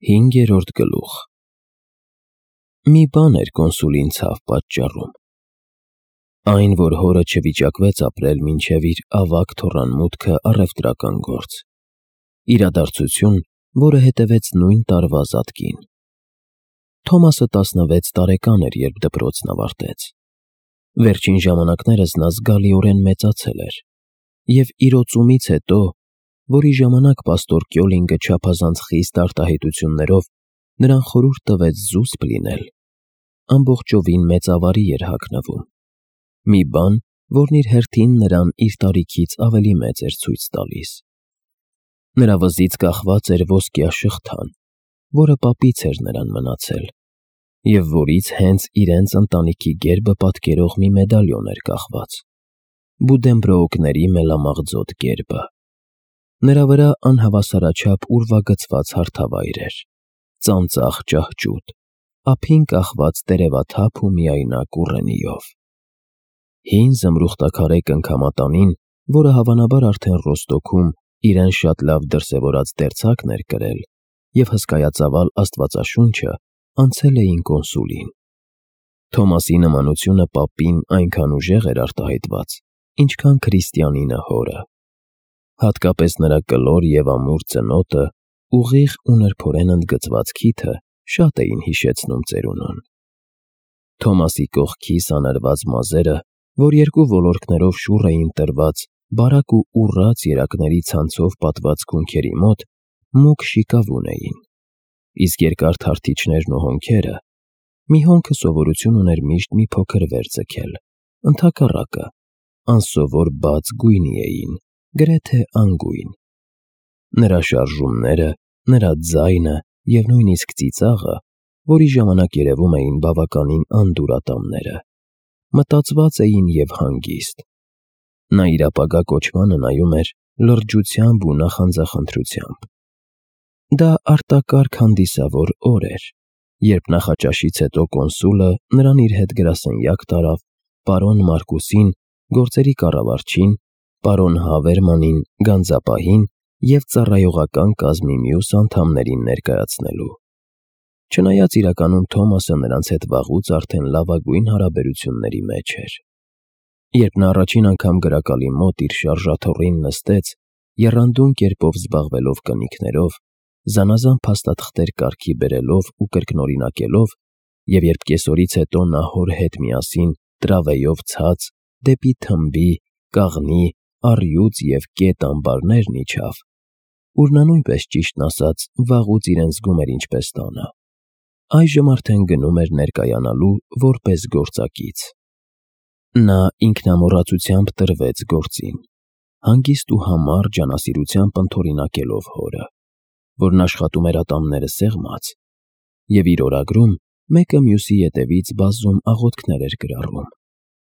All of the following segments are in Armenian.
5-րդ գլուխ։ Մի բան էր կոնսուլին ցավ պատճառում. այն, որ հորը չվիճակվեց ապրել մինչև իր ավագ թոռան մուտքը առևտրական գործ, իրադարձություն, որը հետևեց նույն տարվա Զատկին։ Թոմասը 16 տարեկան էր, երբ դպրոցն ավարտեց։ Վերջին ժամանակներս նա զգալիորեն մեծացել էր, և իրոծումից հետո, որի ժամանակ պաստոր Կյոլինգը չափազանց խիստ արտահայտություններով նրան խորհուրդ տվեց զուսպ լինել, ամբողջովին մեծավարի էր հագնվում, մի բան, որն իր հերթին նրան իր տարիքից ավելի մեծ էր ցույց տալիս։ Նրա վզից կախված էր ոսկյա շղթան, որը պապից էր նրան մնացել, և որից հենց իրենց ընտանիքի գերբը պատկերող մի մեդալիոն էր կախված՝ Բուդենբրոուկների մելամաղձոտ գերբը։ Նրա վրա անհավասարաչափ ուրվագծված հարթավայր էր, ծանծաղ ճահճուտ, ափին կախված տերևաթափ ու միայնակ ուռենիով։ Հին զմրուխտաքարե կնքամատանին, որը հավանաբար արդեն Ռոստոքում իրեն շատ լավ դրսևորած դերձակն էր կրել, և հսկայածավալ Աստվածաշունչը անցել էին կոնսուլին։ Թոմասի նմանությունը պապին այնքան ուժեղ էր արտահայտված, ինչքան քրիստիանինը հորը։ Հատկապես նրա կլոր և ամուր ծնոտը, ուղիղ ու նրբորեն ընդգծված քիթը շատ էին հիշեցնում ծերունուն։ Թոմասի կողքի սանրված մազերը, որ երկու ոլորկներով շուռ էին տրված բարակ ու ուռած երակների ցանցով պատված քունքերի մոտ, մուգ շիկավուն էին, իսկ երկար թարթիչներն ու հոնքերը… Մի հոնքը սովորություն ուներ միշտ մի փոքր վեր ձգել, ընդհակառակը, անսովոր բաց գույնի էին, գրեթե անգույն։ Նրա շարժումները, նրա ձայնը և նույնիսկ ծիծաղը, որի ժամանակ երևում էին բավականին անդուր ատամները, մտածված էին և հանգիստ։ Նա իր ապագա կոչմանը նայում էր լրջությամբ ու նախանձախնդրությամբ։ Դա արտակարգ հանդիսավոր օր էր, երբ նախաճաշից հետո կոնսուլը նրան իր հետ գրասենյակ տարավ պարոն Մարկուսին, գործերի կառավարչին, պարոն Հավերմանին, գանձապահին և ծառայողական կազմի մյուս անդամներին ներկայացնելու։ Չնայած իրականում Թոմասը նրանց հետ վաղուց արդեն լավագույն հարաբերությունների մեջ էր։ Երբ նա առաջին անգամ գրակալի մոտ իր շարժաթոռին նստեց, եռանդուն կերպով զբաղվելով կնիքներով, զանազան փաստաթղթեր կարգի բերելով ու կրկնօրինակելով, և երբ կեսօրից հետո նա հոր հետ միասին տրավեյով ցած դեպի թմբի, կաղնի, առյուծ և կետ ամբարներն իջավ, ուր նա նույնպես, ճիշտն ասած, վաղուց իրեն զգում էր ինչպես տանը, այժմ արդեն գնում էր ներկայանալու որպես գործակից։ Նա ինքնամոռացությամբ տրվեց գործին, հանգիստ ու համառ ջանասիրությամբ ընդօրինակելով հորը, որն աշխատում էր ատամները սեղմած, և իր օրագրում մեկը մյուսի ետևից բազում աղոթքներ էր գրառում՝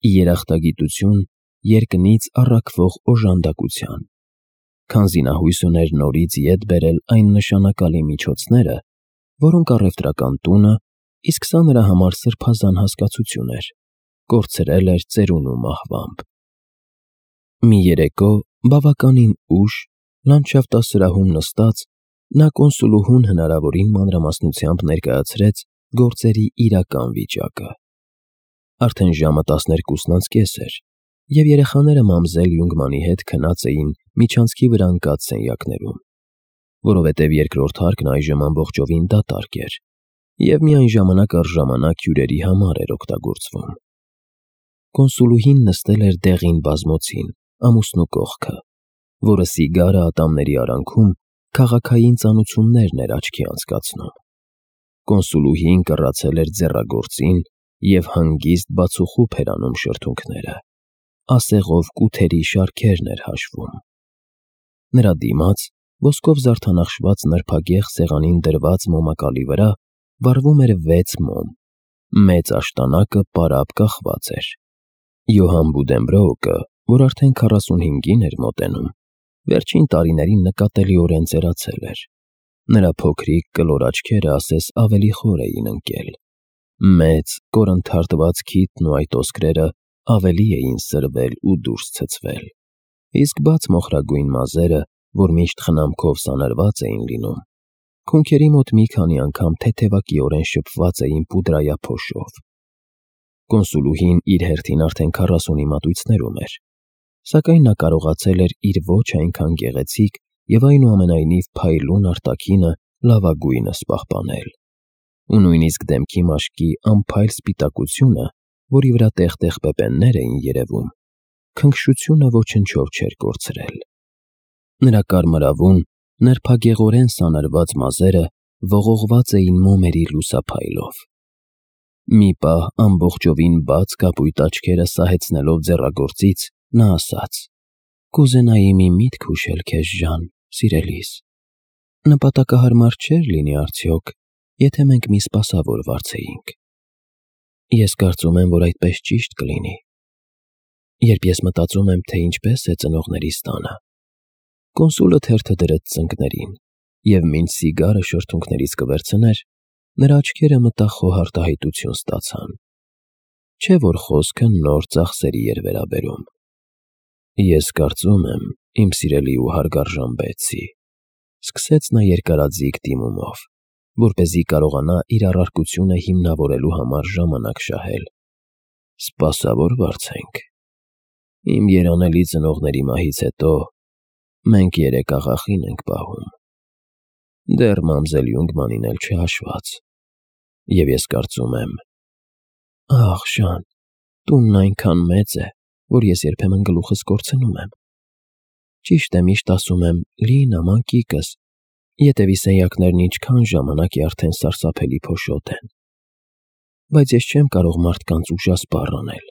ի երախտագիտություն երկնից առաքվող օժանդակության, քանզի նա հույս ուներ նորից ետ բերել այն նշանակալի միջոցները, որոնք առևտրական տունը, իսկ սա նրա համար սրբազան հասկացություն էր, կորցրել էր ծերունու մահվամբ։ Մի երեկո, բավականին ուշ, լանդշաֆտասրահում նստած, նա կոնսուլուհուն հնարավորին մանրամասնությամբ ներկայացրեց գործերի իրական վիճակը։ Արդեն ժամը 12:30 էր, և երեխաները մամզել Յունգմանի հետ քնած էին միջանցքի վրա ընկած սենյակներում, որովհետև երկրորդ հարկն այժմ ամբողջովին դատարկ էր և միայն ժամանակ առ ժամանակ հյուրերի համար էր օգտագործվում։ Կոնսուլուհին նստել էր դեղին բազմոցին, ամուսնու կողքը, որը սիգարը ատամների արանքում քաղաքային ծանուցումներն էր աչքի անցկացնում։ Կոնսուլուհին կռացել էր ձեռագործին և հանգիստ բացուխուփ էր անում շրթունքները, ասեղով կութերի շարքերն էր հաշվում։ Նրա դիմաց, ոսկով զարդանախշված նրբագեղ սեղանին դրված մոմակալի վրա, վառվում էր 6 մոմ, մեծ աշտանակը պարապ կախված էր։ Յոհան Բուդենբրոուկը, որ արդեն 45-ին էր մոտենում, վերջին տարիներին նկատելիորեն ծերացել էր։ Նրա փոքրիկ կլոր աչքերը ասես ավելի խոր էին ընկել։ Մեծ, կորնթարտված քիթն ու այդ ոսկրերը ավելի էին սրվել ու դուրս ցցվել, իսկ բաց մոխրագույն մազերը, որ միշտ խնամքով սանրված էին լինում, Քունքերի մոտ մի քանի անգամ թեթևակիորեն շփված էին պուդրայափոշով։ Կոնսուլուհին իր հերթին արդեն 40-ի մատույցներում էր, սակայն նա կարողացել էր իր ոչ այնքան գեղեցիկ և այնուամենայնիվ փայլուն արտաքինը լավագույնս պահպանել, ու նույնիսկ դեմքի մաշկի անփայլ սպիտակությունը, որի վրա տեղ-տեղ պեպեններ էին երևում, քնքշությունը ոչնչով չէր կորցրել։ Նրա կարմրավուն, նրբագեղորեն սանրված մազերը ողողված էին մոմերի լուսափայլով։ Մի պահ ամբողջովին բաց կապույտ աչքերը սահեցնելով ձեռագործից, նա ասաց. «Կուզենայի մի միտք հուշել քեզ, Ժան, սիրելիս։ Նպատակահարմար չէր լինի արդյոք, եթե մենք մի սպասավոր վարձեինք։ Ես կարծում եմ, որ այդպես ճիշտ կլինի։ Երբ ես մտածում եմ, թե ինչպես է ծնողներիս տանը»։ Կոնսուլը թերթը դրեց ծնկներին, և մինչ սիգարը շրթունքներից կվերցներ, նրա աչքերը մտախոհ արտահայտություն ստացան։ Չէ՞ որ խոսքը նոր ծախսերի էր վերաբերում։ «Ես կարծում եմ, իմ սիրելի ու հարգարժան Բեթսի», սկսեց նա երկարաձիգ դիմումով, որպեսզի կարողանա իր առարկությունը հիմնավորելու համար ժամանակ շահել, «սպասավոր վարձենք։ Իմ երանելի ծնողների մահից հետո մենք 3 աղախին ենք պահում, դեռ մամզել Յունգմանին էլ չհաշված, և ես կարծում եմ…» «Ախ, Ժան, տունն այնքան մեծ է, որ ես երբեմն գլուխս կորցնում եմ։ Ճիշտ է, միշտ ասում եմ՝ լի նաման կիկս, ետևի սենյակներն ինչքան ժամանակ է արդեն սարսափելի փոշոտ են։ Բայց ես չեմ կարող մարդկանց ուժասպառ անել։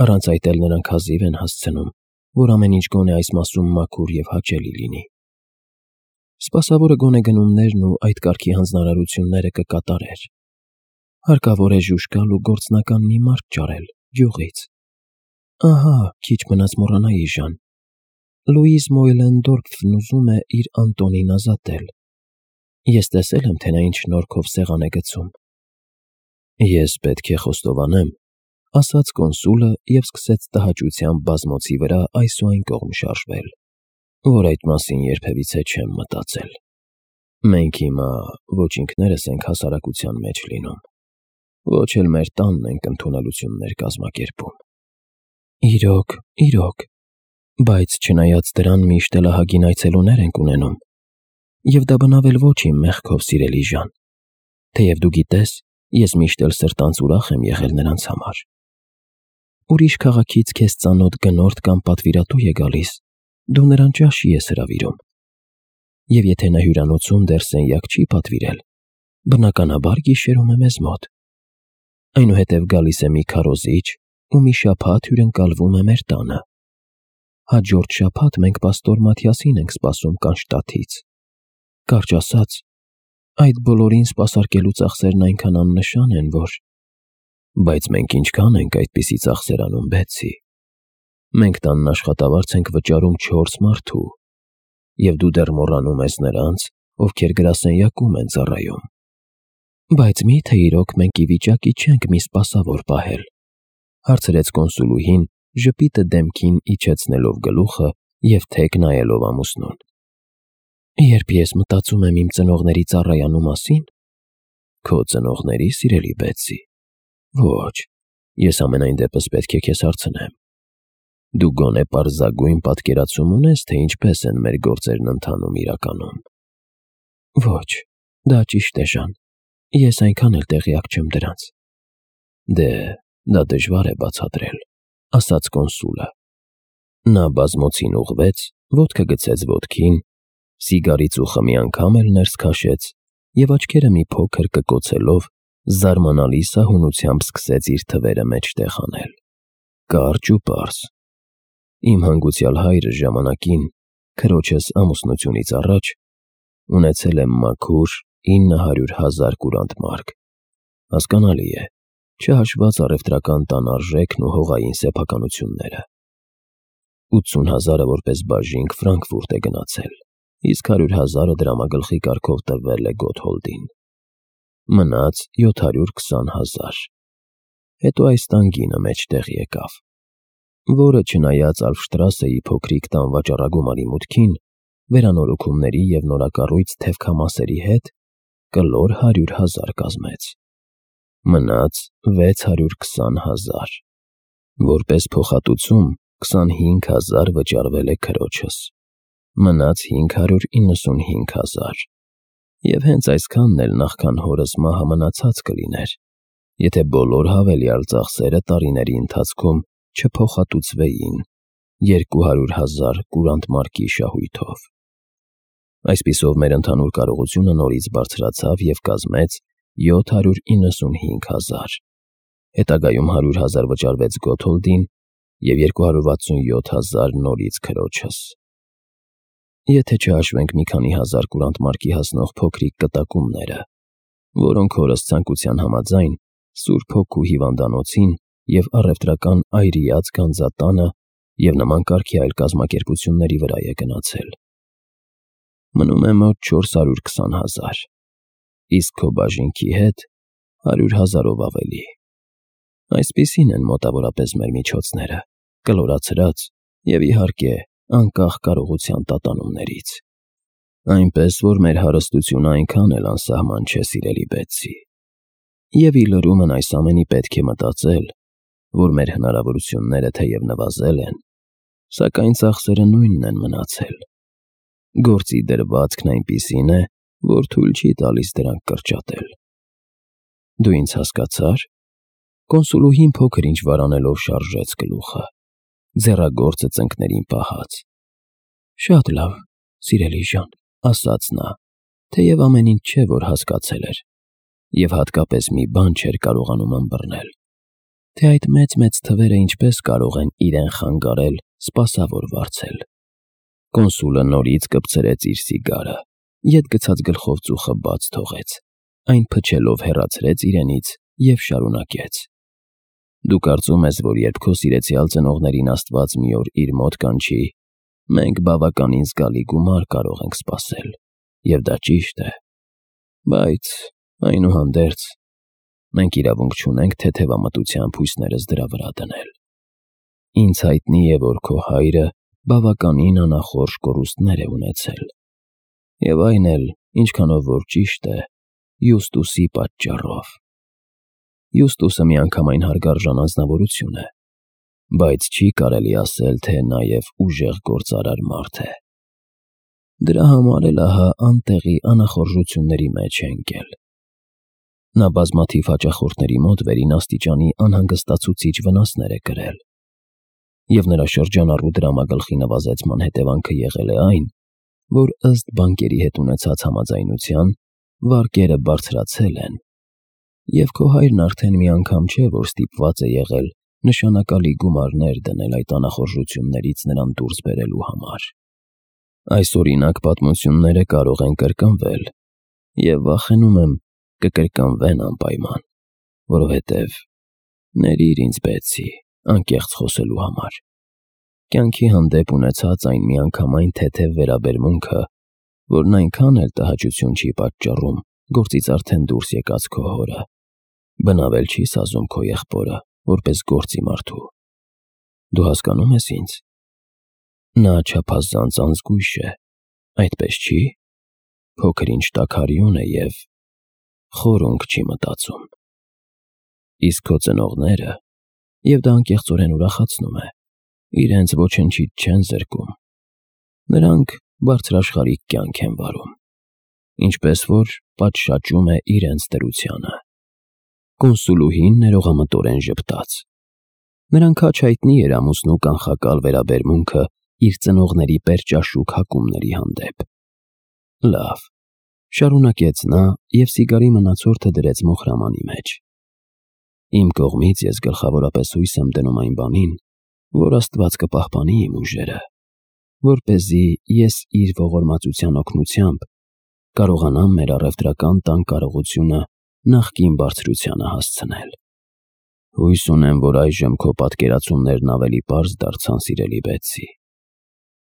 Առանց այդ էլ նրանք հազիվ են հասցնում, որ ամեն ինչ գոնե այս մասում մաքուր և հաճելի լինի։ Սպասավորը գոնե գնումներն ու այդ կարգի հանձնարարությունները կկատարեր։ Հարկավոր է ժուժկալ ու գործնական մի մարդ ճարել գյուղից։ Ահա, քիչ մնաց մոռանայի, Ժան, Լուիզ Մոյլենդորֆն ուզում է իր Անտոնին ազատել։ Ես տեսել եմ, թե նա ինչ շնորհքով սեղան է գցում։ «Ես պետք է խոստովանեմ», ասաց կոնսուլը և սկսեց տհաճությամբ բազմոցի վրա այս ու այն կողմ շարժվել, «որ այդ մասին երբևիցե չեմ մտածել։ Մենք հիմա ոչ ինքներս ենք հասարակության մեջ լինում, ոչ էլ մեր տանն ենք ընդունելություններ կազմակերպում»։ Իրոք, բայց չնայած դրան միշտ էլ ահագին այցելուներ ենք ունենում, և դա բնավ էլ ոչ իմ մեղքով, սիրելի Ժան, թեև դու գիտես, ես միշտ էլ սրտանց ուրախ եմ եղել նրանց համար։ Ուրիշ քաղաքից քեզ ծանոթ գնորդ կամ պատվիրատու է գալիս, դու նրան ճաշի ես հրավիրում։ Եվ եթե նա հյուրանոցում դեռ սենյակ չի պատվիրել, բնականաբար գիշերում է մեզ մոտ։ Այնուհետև գալիս է մի քարոզիչ ու մի շաբաթ հյուրընկալվում է մեր տանը։ Հաջորդ շաբաթ մենք պաստոր Մաթիասին ենք սպասում Կանշտադտից։ Կարճ ասած, այդ բոլորին սպասարկելու ծախսերն այնքան աննշան են, որ… Բայց մենք ինչքան ենք այդպիսի ծախսեր անում, Բեթսի։ Մենք տանն աշխատավարձ ենք վճարում 4 մարդու, և դու դեռ մոռանում ես նրանց, ովքեր գրասենյակում են ծառայում։ Բայց մի՞թե իրոք մենք ի վիճակի չենք մի սպասավոր պահել, հարցրեց կոնսուլուհին, ժպիտը դեմքին իջեցնելով գլուխը և թեք նայելով ամուսնուն։ Երբ ես մտածում եմ իմ ծնողների ծառայանու մասին… Քո ծնողների, սիրելի Բեթսի… Ոչ, ես ամենայն դեպս պետք է քեզ հարցնեմ. դու գոնե պարզագույն պատկերացում ունես, թե ինչպես են մեր գործերն ընթանում իրականում։ Ոչ, դա ճիշտ է, Ժան, ես այնքան էլ տեղյակ չեմ դրանց։ Դե, դա դժվար է բացատրել, ասաց կոնսուլը։ Նա բազմոցին ուղղվեց, ոտքը գցեց ոտքին, սիգարից ու խմի անգամ էլ ներս քաշեց և աչքերը մի փոքր կկոցելով, զարմանալի սահունությամբ սկսեց իր թվերը մեջտեղ անել։ Կարճ ու պարզ. Իմ հանգուցյալ հայրը ժամանակին, քրոջս ամուսնությունից առաջ, ունեցել է մաքուր 900,000 կուրանտ մարկ։ Հասկանալի է, չհաշված առևտրական տան արժեքն ու հողային սեփականությունները։ 80,000-ը որպես բաժինք Ֆրանկֆուրտ է գնացել, իսկ 100,000-ը դրամագլխի կարգով տրվել է Գոթհոլդին։ Մնաց 720,000։ Հետո այս տան գինը մեջտեղ եկավ, որը չնայած Ալֆշտրասեի փոքրիկ տան վաճառագումարի մուտքին, վերանորոգումների և նորակառույց թևքամասերի հետ կլոր 100,000 կազմեց։ Մնաց 620,000, որպես փոխհատուցում 25,000 վճարվել է քրոջս, մնաց 595,000, և հենց այսքանն էլ նախքան հորս մահը մնացած կլիներ, եթե բոլոր հավելյալ ծախսերը տարիների ընթացքում չփոխհատուցվեին 200,000 կուրանտ մարկի շահույթով։ Այսպիսով մեր ընդհանուր կարողությունը նորից բարձրացավ և կազմեց 795,000, հետագայում 100,000 վճարվեց Գոթոլդին և 267,000 նորից քրոջս։ Եթե չհաշվենք մի քանի հազար կուրանտ մարկի հասնող փոքրիկ կտակումները, որոնք հորս ցանկության համաձայն Սուրբ Հոգու հիվանդանոցին և առևտրական Այրիած գանձատանը և նման կարգի այլ կազմակերպությունների վրա է գնացել, մնում է մոտ 420,000, իսկ քո բաժինքի հետ 100,000-ով ավելի։ Այսպիսին են մոտավորապես մեր միջոցները, կլորացրած և, իհարկե, անկախ կարողության տատանումներից։ Այնպես, որ մեր հարստությունը այնքան էլ անսահման չէ, սիրելի Բեթսի։ Եվ ի լրումն այս ամենի պետք է մտածել, որ մեր հնարավորությունները թեև նվազել են, սակայն ծախսերը նույնն են մնացել։ Գործի դրվածքն այնպիսին է, որ թույլ չի տալիս դրանք կրճատել։ Դու ինձ հասկացա՞ր։ Կոնսուլուհին փոքր-ինչ վարանելով շարժեց գլուխը, ձեռագործը ծնկներին պահած։ Շատ լավ, սիրելի ջան, ասաց նա, թեև ամեն ինչ չէ, որ հասկացել էր, և հատկապես մի բան չէր կարողանում ըմբռնել, թե այդ մեծ թվերը ինչպես կարող են իրեն խանգարել սպասավոր վարձել։ Կոնսուլը նորից կպցրեց իր սիգարը, ետ գցած գլխով ծուխը բաց թողեց, այն փչելով հեռացրեց իրենից և շարունակեց. Դու կարծում ես, որ երբ քո սիրեցյալ ծնողներին Աստված մի օր իր մոտ կանչի, մենք բավականին զգալի գումար կարող ենք սպասել, և դա ճիշտ է, բայց, այնուհանդերձ, մենք իրավունք չունենք թեթևամտությամբ հույսներս դրա վրա դնել։ Ինձ հայտնի է, որ քո հայրը բավականին անախորժ կորուստներ է ունեցել, և այն էլ, ինչքանով որ ճիշտ է, Յուստուսի պատճառով։ Յուստուսը միանգամայն հարգարժան անձնավորություն է, բայց չի կարելի ասել, թե նաև ուժեղ գործարար մարդ է։ Դրա համար էլ ահա անտեղի անախորժությունների մեջ է ընկել։ Նա բազմաթիվ հաճախորդների մոտ վերին աստիճանի անհանգստացուցիչ վնասներ է կրել, և նրա շրջանառու դրամագլխի նվազեցման հետևանքը եղել է այն, որ ըստ բանկերի հետ ունեցած համաձայնության վարկերը բարձրացել են, և քո հայրն արդեն մի անգամ չէ, որ ստիպված է եղել նշանակալի գումարներ դնել այդ անախորժություններից նրան դուրս բերելու համար։ Այս օրինակ պատմությունները կարող են կրկնվել, և վախենում եմ կկրկնվեն անպայման, որովհետև, ներիր ինձ, Բեթսի, անկեղծ խոսելու համար, կյանքի հանդեպ ունեցած այն միանգամայն թեթև վերաբերմունքը, որն այնքան էլ տհաճություն չի պատճառում գործից արդեն դուրս եկած քո հորը, բնավել չի սազում քո եղբորը, որպես գործի մարդու։ Դու հասկանո՞ւմ ես ինձ։ Նա չափազանց անզգույշ է, այդպես չի, փոքր-ինչ տաքարյուն է և խորունկ չի մտածում։ Իսկ քո ծնողները, և դա անկեղծորեն ուրախացնում է, իրենց ոչնչից չեն զրկում։ Նրանք բարձրաշխարհիկ կյանք են վարում, ինչպես որ պատշաճում է իրենց դրությանը։ Կոնսուլուհին ներողամտորեն ժպտաց։ Նրան քաջ հայտնի էր ամուսնու կանխակալ վերաբերմունքը իր ծնողների պերճաշուք հակումների հանդեպ։ Լավ, շարունակեց նա և սիգարի մնացորդը դրեց մոխրամանի մեջ։ Իմ կողմից ես գլխավորապես հույս եմ դնում այն բանին, որ Աստված կպահպանի իմ ուժերը, որպեսզի ես իր ողորմածության օգնությամբ կարողանամ մեր առևտրական տան կարողությունը նախկին բարձրությանը հասցնել։ Հույս ունեմ, որ այժմ քո պատկերացումներն ավելի պարզ դարձան, սիրելի Բեթսի։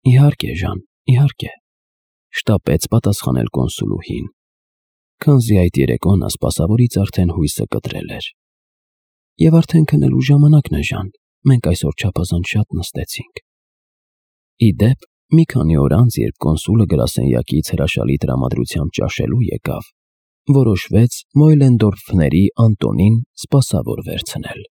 Իհարկե, ջան, իհարկե, շտապեց պատասխանել կոնսուլուհին, քանզի այդ երեկո նա սպասավորից արդեն հույսը կտրել էր։ Եվ արդեն քնելու ժամանակն է, ջան, մենք այսօր չափազանց շատ նստեցինք։ Ի դեպ, Մի քանի օր անց, երբ կոնսուլը գրասենյակից հրաշալի տրամադրությամբ ճաշելու եկավ, որոշվեց Մոյլենդորֆների Անտոնին սպասավոր վերցնել։